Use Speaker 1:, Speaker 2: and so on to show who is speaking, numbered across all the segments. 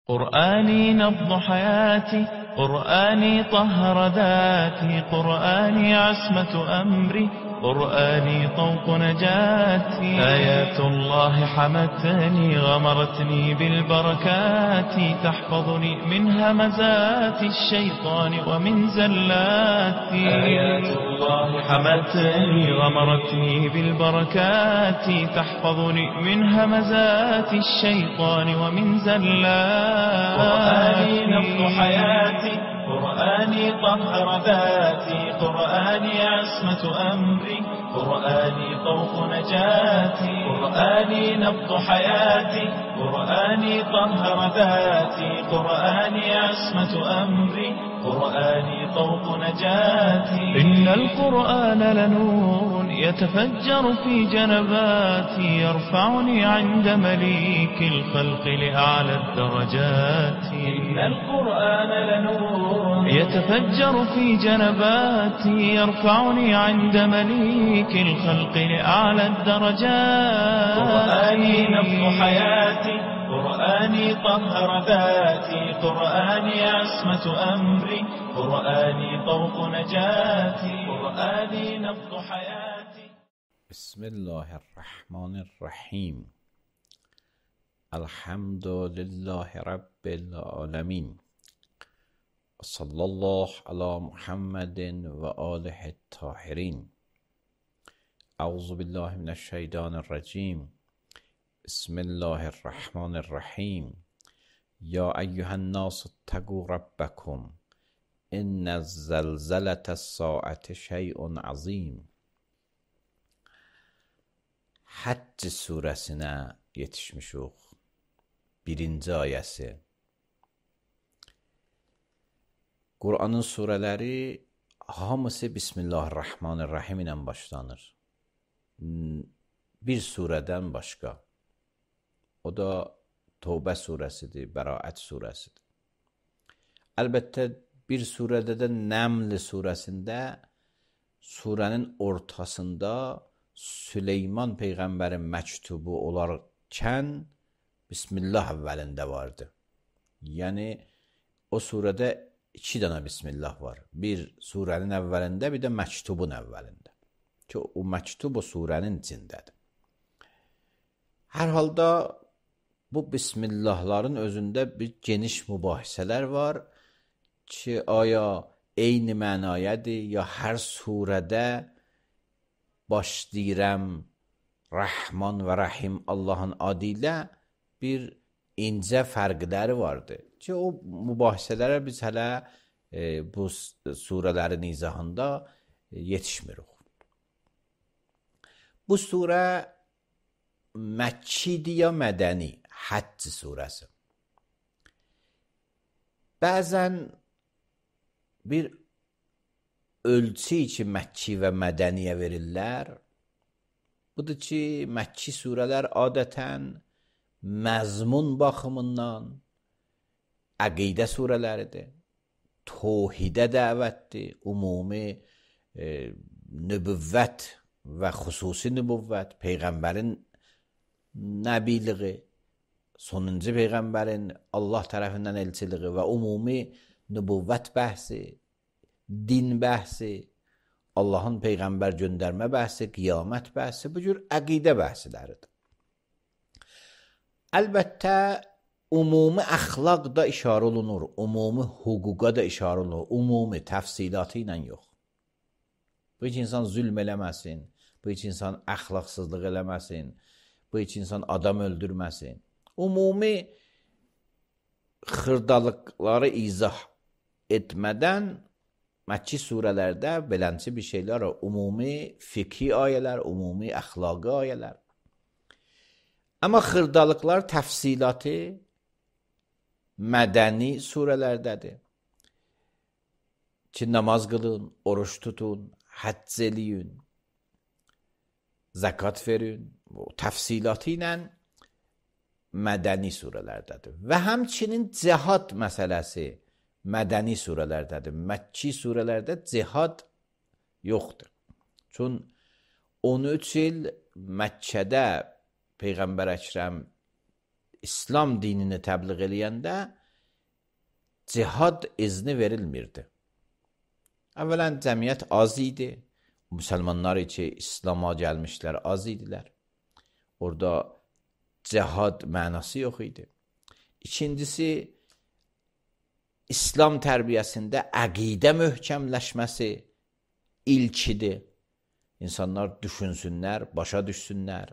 Speaker 1: قرآني نبض حياتي، قرآني طهر ذاتي، قرآني عصمة أمري، قرآني طوق نجاتي. آيات الله حمتني غمرتني بالبركات، تحفظني من همزات الشيطان ومن زلاتي. آيات الله حمتني غمرتني بالبركات، تحفظني من همزات الشيطان ومن زلاتي. قرآني نبض حياتي، قرآني طهر ذاتي، قرآني عصمة أمري، قرآني طوق نجاتي. قرآني نبض حياتي، قرآني طهر ذاتي، قرآني عصمة أمري، قرآني طوق نجاتي. إن القرآن لنور يتفجر في جنباتي، يرفعني عند مليك الخلق لأعلى الدرجات. إن القرآن لنور يتفجر في جنباتي، يرفعني عند مليك الخلق لأعلى الدرجات. قرآني نبض حياتي، قرآني طهر ذاتي، قرآني عصمة أمري، قرآني طوق نجاتي. قرآني نبض حياتي.
Speaker 2: بسم الله الرحمن الرحیم. الحمد لله رب العالمین. صلی الله علی محمد و آله الطاهرین. اعوذ بالله من الشیطان الرجیم. بسم الله الرحمن الرحیم. یا ایها الناس اتقوا ربکم ان زلزله الساعة شیء عظیم. Həcc surəsinə yetişmişik. 1-ci ayəsi. Qur'anın surələri hamısı Bismillahirrahmanirrahim ilə başlanır. Bir surədən başqa. O da Tövbə surəsidir, Bəraət surəsidir. Əlbəttə bir surədə də Nəml surəsində surənin ortasında Süleyman Peyğəmbərin məktubu olarkən Bismillah əvvəlində vardı. Yəni o surədə 2 dənə Bismillah var. Bir surənin əvvəlində, bir də məktubun əvvəlində. Ki o məktub o surənin içindədir. Hər halda bu Bismillahların özündə bir geniş mübahisələr var ki, aya eyni mənayədir, ya hər surədə başlayıram Rəhman və Rəhim Allahın adı ilə bir incə fərqləri vardır. Ki o mübahisələrə biz hələ bu surələrin izahında yetişmirik. Bu surə Məkkidir ya mədəni? Həcc surəsi. Bəzən bir ölçü ki Məkki və mədəniyə verirlər. Budur ki, Məkki surələr adətən məzmun baxımından əqidə surələridir. Tohidə dəvətdir, ümumi nübüvvət və xüsusi nübüvvət, Peyğəmbərin nəbiliği, sonuncu Peyğəmbərin Allah tərəfindən elçiliği və ümumi nübüvvət bəhsi, din bəhsi, Allahın Peyğəmbər göndərmə bəhsi, qiyamət bəhsi, bu cür əqidə bəhsiləridir. Əlbəttə, ümumi əxlaq da işarə olunur, ümumi hüquqa da işarə olunur, ümumi təfsilatı ilə yox. Bu iki insan zülm eləməsin, bu iki insan əxlaqsızlıq eləməsin, bu iki insan adam öldürməsin. Ümumi xırdalıqları izah etmədən Məkki surələrdə belənçi bir şeylər var. Ümumi fikri ayələr, ümumi əxlaqi ayələr. Amma xırdalıqlar təfsilatı mədəni surələrdədir. Ki, namaz qılın, oruç tutun, həcc eləyin, zəkat verin. Təfsilatı ilə mədəni surələrdədir. Və həmçinin cihad məsələsi mədəni surələrdədir. Məkki surələrdə cihad yoxdur. Çün 13 il Məkkədə Peyğəmbər Əkrəm İslam dinini təbliğ eləyəndə cihad izni verilmirdi. Əvvələn cəmiyyət az idi. Müsəlmanlar ki, İslama gəlmişlər az idilər. Orada cihad mənası yox idi. İkincisi, İslam tərbiyəsində əqidə möhkəmləşməsi ilkidir. İnsanlar düşünsünlər, başa düşsünlər,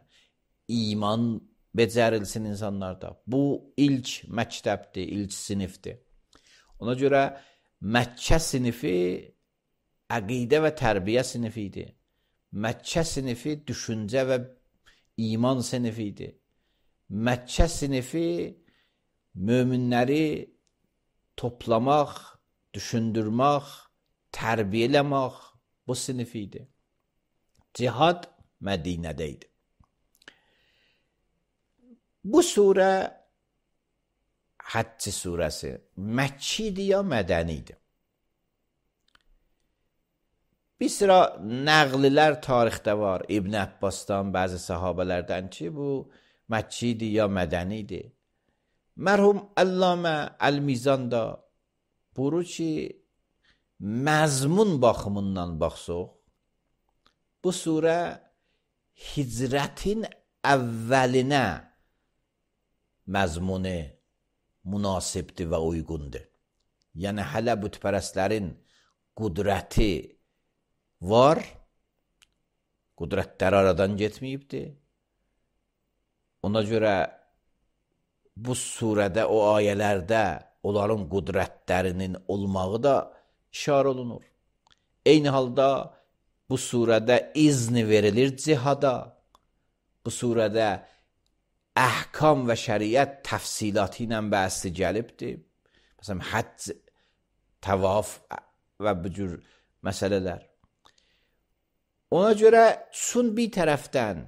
Speaker 2: iman becərilsin insanlarda. Bu ilk məktəbdir, ilk sinifdir. Ona görə Məkkə sinifi əqidə və tərbiyə sinifi idi. Məkkə sinifi düşüncə və iman sinifi idi. Məkkə sinifi möminləri toplamaq, düşündürmək, tərbiyə eləmək bu sinifi idi. Cihad Mədinədə idi. Bu surə Həcc surəsi Məkki idi ya mədəni idi? Bir sıra nəqlilər tarixdə var. İbn Abbasdan, bəzi sahabələrdən ki, bu Məkki idi ya mədəni idi. Mərhum Allamə Əl-Mizan da buyurur ki, məzmun baxımından baxsaq, bu surə hicrətin əvvəlinə məzmunu münasibdir və uyğundur. Yəni, hələ bütpərəstlərin qudrəti var, qudrətləri aradan getməyibdir. Ona görə bu surədə, o ayələrdə onların qudrətlərinin olmağı da işarə olunur. Eyni halda bu surədə izni verilir cihada. Bu surədə əhkam və şəriət təfsilatı ilə bəhsi gəlibdir. Məsələn, həcc, təvaf və bu cür məsələlər. Ona görə çün bir tərəfdən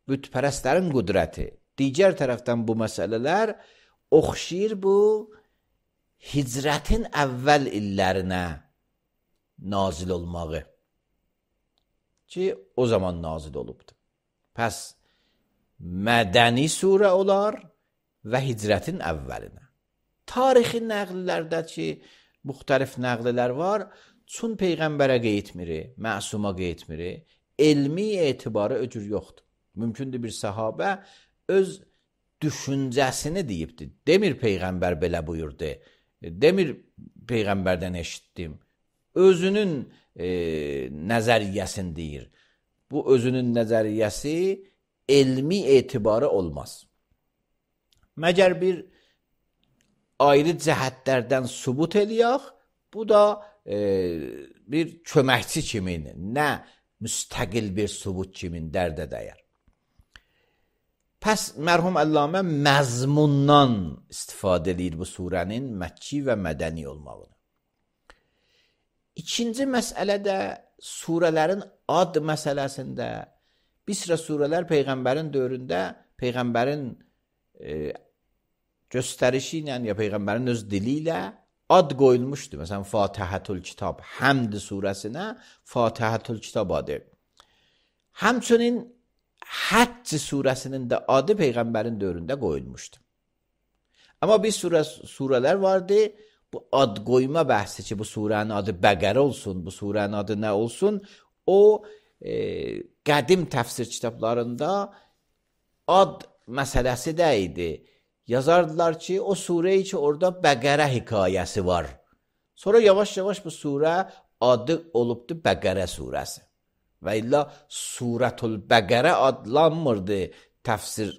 Speaker 2: bütpərəstlərin qudrəti, digər tərəfdən bu məsələlər oxşayır bu hicrətin əvvəl illərinə nazil olmağı ki, o zaman nazil olubdur. Pəs mədəni surə olar və hicrətin əvvəlinə. Tarixi nəqlilərdə ki, müxtəlif nəqlilər var, çün Peyğəmbərə qeytmiri, məsuma qeytmiri, elmi etibarı öcür yoxdur. Mümkündür bir sahabə öz düşüncəsini deyibdir. Demir Peyğəmbər belə buyurdu, demir Peyğəmbərdən eşitdim. Özünün nəzəriyyəsini deyir. Bu özünün nəzəriyyəsi elmi etibarı olmaz. Məgər bir ayrı cəhətlərdən sübut eləyək, bu da bir köməkçi kimin, nə müstəqil bir sübut kimin dərdə dəyər. Pəs mərhum Allamə məzmundan istifadə edir bu surənin Məkki və mədəni olmağını. İkinci məsələdə surələrin ad məsələsində bir sıra surələr Peyğəmbərin dövründə Peyğəmbərin göstərişi ilə ya Peyğəmbərin öz dili ilə ad qoyulmuşdu. Məsələn, Fatihətül Kitab, Həmd surəsinə Fatihətül Kitab adı. Həmçinin Həcc surəsinin də adı Peyğəmbərin dövründə qoyulmuşdu. Amma bir surələr vardı, bu ad qoyma bəhsi ki, bu surənin adı Bəqərə olsun, bu surənin adı nə olsun, o qədim təfsir kitablarında ad məsələsi də idi. Yazardılar ki, o surəyi ki, orada Bəqərə hekayəsi var. Sonra yavaş-yavaş bu surə adı olubdu Bəqərə surəsi. Və illa Surətül Bəqərə adlanmırdı təfsir,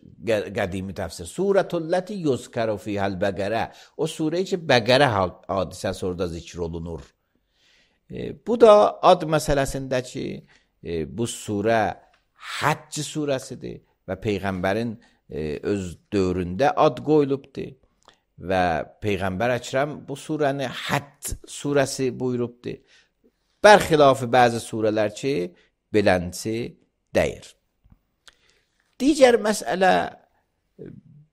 Speaker 2: qədimi təfsir. Surətülləti yuzkəru fihəl Bəqərə. O surəyi ki, Bəqərə hadisəsi orada zikr olunur. Bu da ad məsələsində ki, bu surə Həcc surəsidir və Peyğəmbərin öz dövründə ad qoyulubdur və Peyğəmbər Əkrəm bu surəni Həcc surəsi buyurubdur. Bərxilafı bəzi surələr ki, belənçi deyir. Digər məsələ,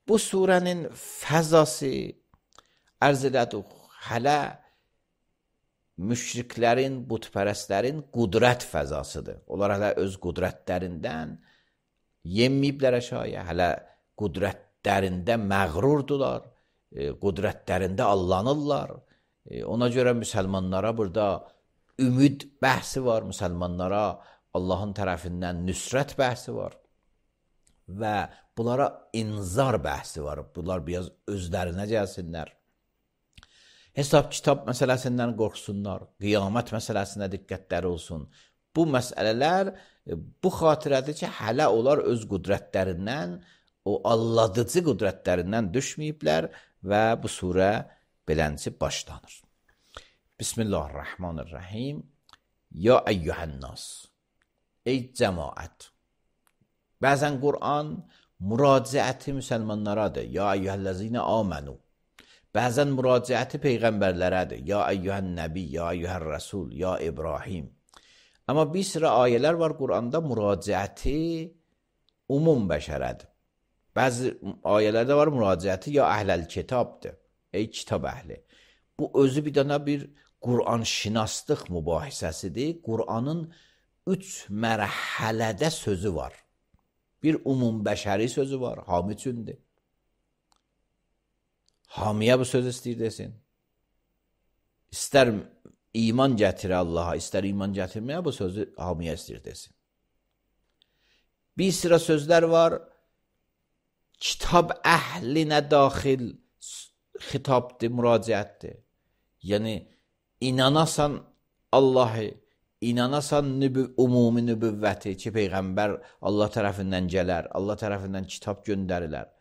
Speaker 2: bu surənin fəzası ərz elədik, hələ müşriklərin, butpərəstlərin qudrət fəzasıdır. Onlar hələ öz qudrətlərindən yenməyiblər əşaya, hələ qudrət qüdrətlərində məğrurdular, qüdrətlərində allanırlar. Ona görə müsəlmanlara burada ümid bəhsi var, müsəlmanlara Allahın tərəfindən nüsrət bəhsi var və bunlara inzar bəhsi var. Bunlar biraz özlərinə gəlsinlər. Hesab kitab məsələsindən qorxsunlar, qiyamət məsələsinə diqqətləri olsun. Bu məsələlər bu xatirədir ki, hələ onlar öz qüdrətlərindən, o alladıcı qüdrətlərindən düşməyiblər və bu surə belənci başlanır. Bismillahirrahmanirrahim. Ya eyyuhənnas, ey cəmaət. Bəzən Qur'an müraciəti müsəlmanlaradır. Ya eyyuhəl-ləzinə amənu. Bəzən müraciəti peyğəmbərlərədir. Ya eyyuhən nəbi, ya eyyuhər rəsul, ya İbrahim. Amma bir sıra ayələr var Qur'anda müraciəti umum bəşərədir. Bəzi ayələrdə var müraciəti ya əhləl kitabdır. Ey kitab əhli. Bu özü bir dənə bir Qur'an şinaslıq mübahisəsidir. Qur'anın 3 mərhələdə sözü var. Bir umum bəşəri sözü var, hami üçündür. Hamiyə bu söz istəyir desin. İstər iman gətirə Allaha, istər iman gətirməyə bu sözü hamiyə istəyir desin. Bir sıra sözlər var, kitab əhlinə daxil xitabdır, müraciətdir. Yəni, inanasan Allahı, inanasan umumi nübüvvəti ki, Peyğəmbər Allah tərəfindən gələr, Allah tərəfindən kitab göndərilər.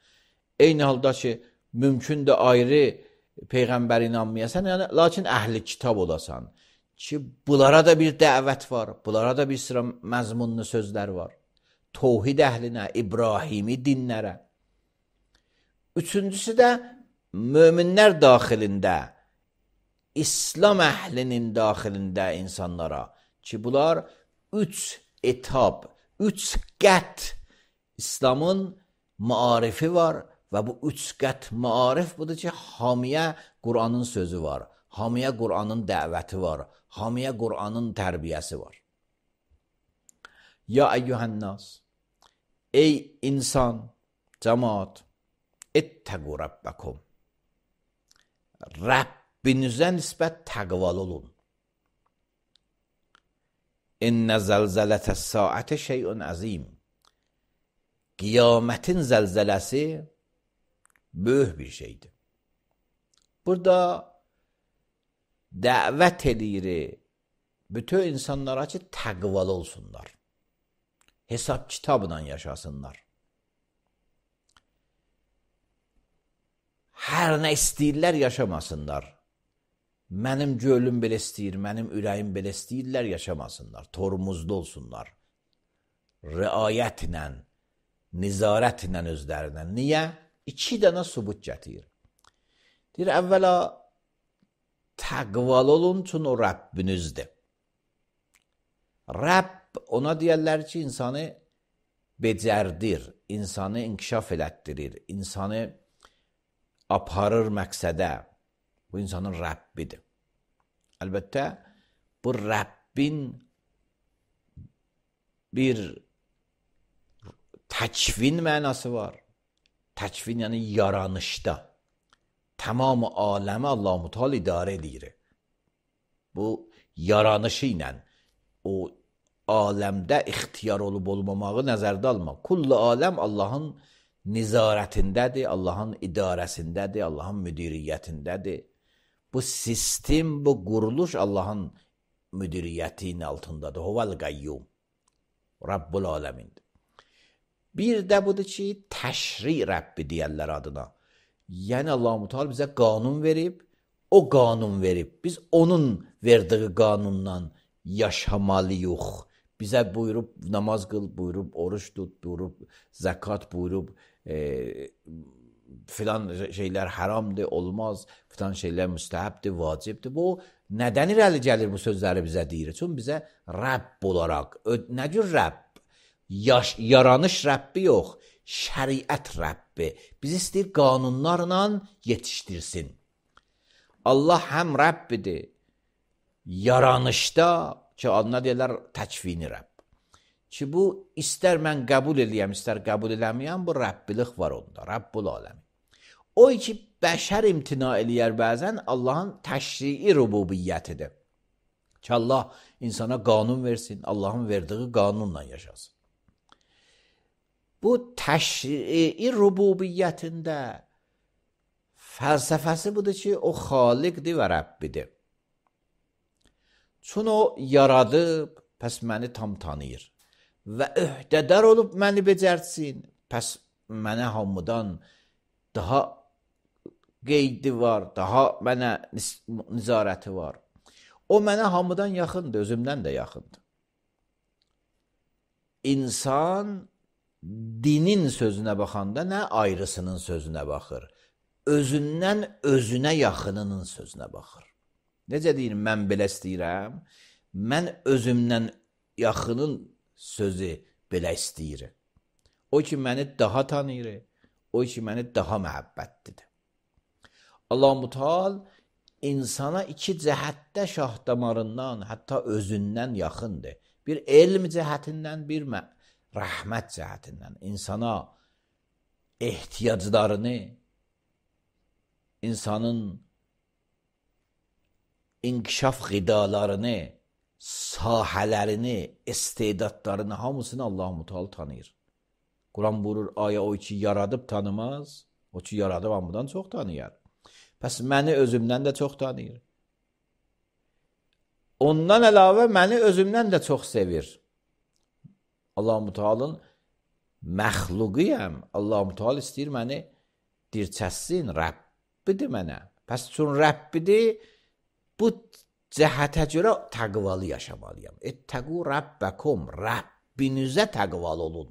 Speaker 2: Eyni halda ki, mümkündür ayrı Peyğəmbər inanmayasan, yəni, lakin əhli kitab olasan ki, bunlara da bir dəvət var, bunlara da bir sıra məzmunlu sözlər var. Tohid əhlinə, İbrahimi dinlərə. Üçüncüsü də möminlər daxilində, İslam əhlinin daxilində insanlara ki, bunlar 3 etab, 3 qət İslamın maarifi var və bu 3 qət maarif budur ki, hamiyə Qur'anın sözü var, hamiyə Qur'anın dəvəti var, hamiyə Qur'anın tərbiyəsi var. Ya eyyuhənnas, ey insan, cəmaat, ettəqu rabbəkum. Rəbbinizə nisbət təqval olun. İnnə zəlzələtəs saətə şeyun əzim. Qiyamətin zəlzələsi böyük bir şeydir. Burada dəvət edir bütün insanlara ki, təqval olsunlar. Hesab kitabla yaşasınlar. Hər nə istəyirlər yaşamasınlar. Mənim gölüm belə istəyir, mənim ürəyim belə istəyirlər yaşamasınlar. Tormuzlu olsunlar. Riayətlə, nizarətlə özlərinə. Niyə? 2 dənə subut gətirir. Deyir, əvvəla təqval olun, çünki o Rəbbinizdir. Rəbb ona deyərlər ki, insanı becərdir, insanı inkişaf elətdirir, insanı aparır məqsədə. Bu insanın Rəbbidir. Əlbəttə, bu Rəbbin bir təkvin mənası var. Təkvin yəni yaranışda. Tamamı aləmi Allah-u Teala idarə edir. Bu yaranışı ilə o aləmdə ixtiyar olub olmamağı nəzərdə almaq. Kullu aləm Allahın nizarətindədir, Allahın idarəsindədir, Allahın müdiriyyətindədir. Bu sistem, bu quruluş Allahın müdiriyyətinin altındadır. Huvel qayyum. Rabbul aləmindir. Bir də budur ki, təşri Rəbbi deyərlər adına. Yəni Allah-u Teala bizə qanun verib, o qanun verib. Biz onun verdiği qanundan yaşamalıyıq. Bizə buyurub namaz qıl, buyurub oruç tut, buyurub zəkat, buyurub filan şeylər haramdır, olmaz, filan şeylər müstəhəbdir, vacibdir. Bu, nədən irəli gəlir bu sözləri bizə deyir? Çünki bizə Rəbb olaraq, nə cür Rəbb? Yaranış Rəbbi yox, şəriət Rəbbi. Biz istəyir qanunlarla yetişdirsin. Allah həm Rəbbidir, yaranışda ki, adına deyirlər təkvini Rəbb. ki, bu istər mən qəbul eləyəm, istər qəbul eləməyəm, bu Rəbbilik var onda, Rəbbul aləmin. O ki, bəşər imtina eləyər bəzən Allahın təşrii rububiyyətidir. Ki, Allah insana qanun versin, Allahın verdiği qanunla yaşasın. Bu təşrii rububiyyətində fəlsəfəsi budur ki, o xaliqdir və Rəbbidir. Çün o yaradıb, pəs məni tam tanıyır və öhdədar olub məni becərsin, pəs mənə hamıdan daha qeydi var, daha mənə nizarəti var. O mənə hamıdan yaxındır, özümdən də yaxındır. İnsan dinin sözünə baxanda nə ayrısının sözünə baxır, özündən özünə yaxınının sözünə baxır. Necə deyir, mən belə istəyirəm, mən özümdən yaxının sözü belə istəyir. O ki, məni daha tanıyır, o ki, məni daha məhəbbətlidir. Allah-u Teala insana iki cəhətdə şah damarından, hətta özündən yaxındır. Bir elm cəhətindən, bir rəhmət cəhətindən. İnsana ehtiyaclarını, insanın inkişaf qidalarını, sahələrini, istedadlarını, hamısını Allah-u Teala tanıyır. Quran buyurur, aya o ki yaradıb tanımaz, o ki yaradıb hamıdan çox tanıyar. Pəs məni özümdən də çox tanıyır. Ondan əlavə məni özümdən də çox sevir. Allah-u Teala'nın məxluquyəm. Allah-u Teala istəyir məni dirçəssin, Rəbbidir mənə. Pəs çün Rəbbidir, bu cəhətə görə təqvalı yaşamalıyam. Ettəqu Rəbbəkum, Rəbbinizə təqvalı olun.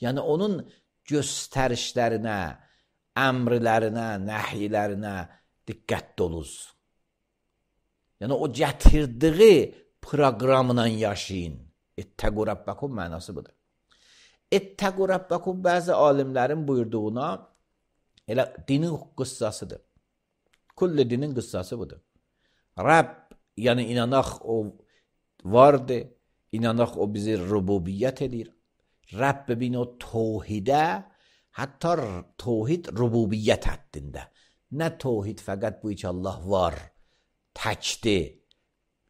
Speaker 2: Yəni onun göstərişlərinə, əmrlərinə, nəhiylərinə diqqətli olunuz. Yəni o gətirdiyi proqramla yaşayın. Ettəqu Rəbbəkum mənası budur. Ettəqu Rəbbəkum bəzi alimlərin buyurduğuna elə dinin qıssasıdır. Kulli dinin qıssası budur. Rəbb, yəni inanaq o vardır, inanaq o bizi rububiyyət edir. Rəbb bin o tohidə, hətta tohid rububiyyət həddində. Nə tohid fəqət bu ki Allah var, təkdir.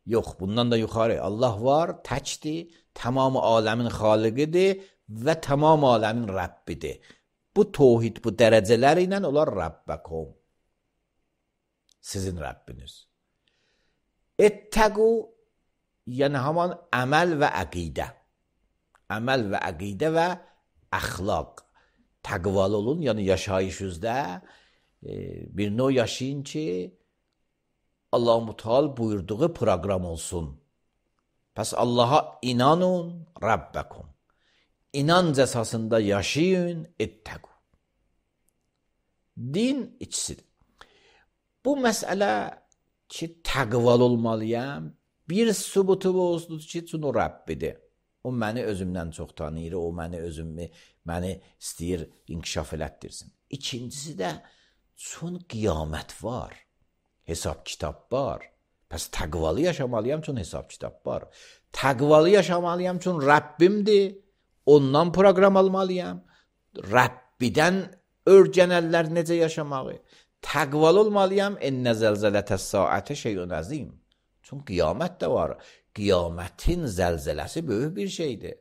Speaker 2: Yox, bundan da yuxarı. Allah var, təkdir, tamamı aləmin xaliqidir və tamam aləmin Rəbbidir. Bu tohid, bu dərəcələri ilə onlar Rəbbəkum. Sizin Rəbbiniz. Ettəqu, yəni haman əməl və əqidə. Əməl və əqidə və əxlaq. Təqvalı olun, yəni yaşayışınızda bir növ yaşayın ki, Allah-u Teala buyurduğu proqram olsun. Pəs Allaha inanın, Rəbbəkum. İnanc əsasında yaşayın, ettəqu. Din ikisidir. Bu məsələ ki, təqvalı olmalıyam, bir sübutu olsun ki, çünki o Rəbbidir. O məni özümdən çox tanıyır, o məni istəyir inkişaf elətdirsin. İkincisi də, çünki qiyamət var, hesab kitab var. Pəs təqvalı yaşamalıyam, çünki hesab kitab var. Təqvalı yaşamalıyam, çünki Rəbbimdir, ondan proqram almalıyam. Rəbbidən örgənərlər necə yaşamağı. Təqvalı olmalıyam, ennə zəlzələtəs saətə şeyun əzim. Çünki qiyamət də var. Qiyamətin zəlzələsi böyük bir şeydir.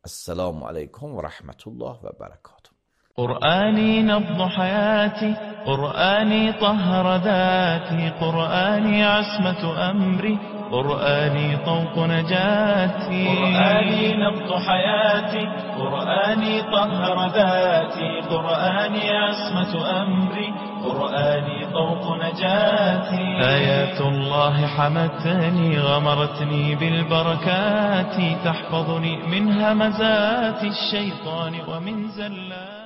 Speaker 2: Esselamu aleykum və rəhmətullah və bərəkatuhu.
Speaker 1: قرآني نبض حياتي قرآني طهر ذاتي قرآني عصمة أمري قرآني طوق نجاتي قرآني نبض حياتي قرآني طهر ذاتي قرآني عصمة أمري قرآني طوق نجاتي آيات الله حمتني غمرتني بالبركات تحفظني من همزات الشيطان ومن زلات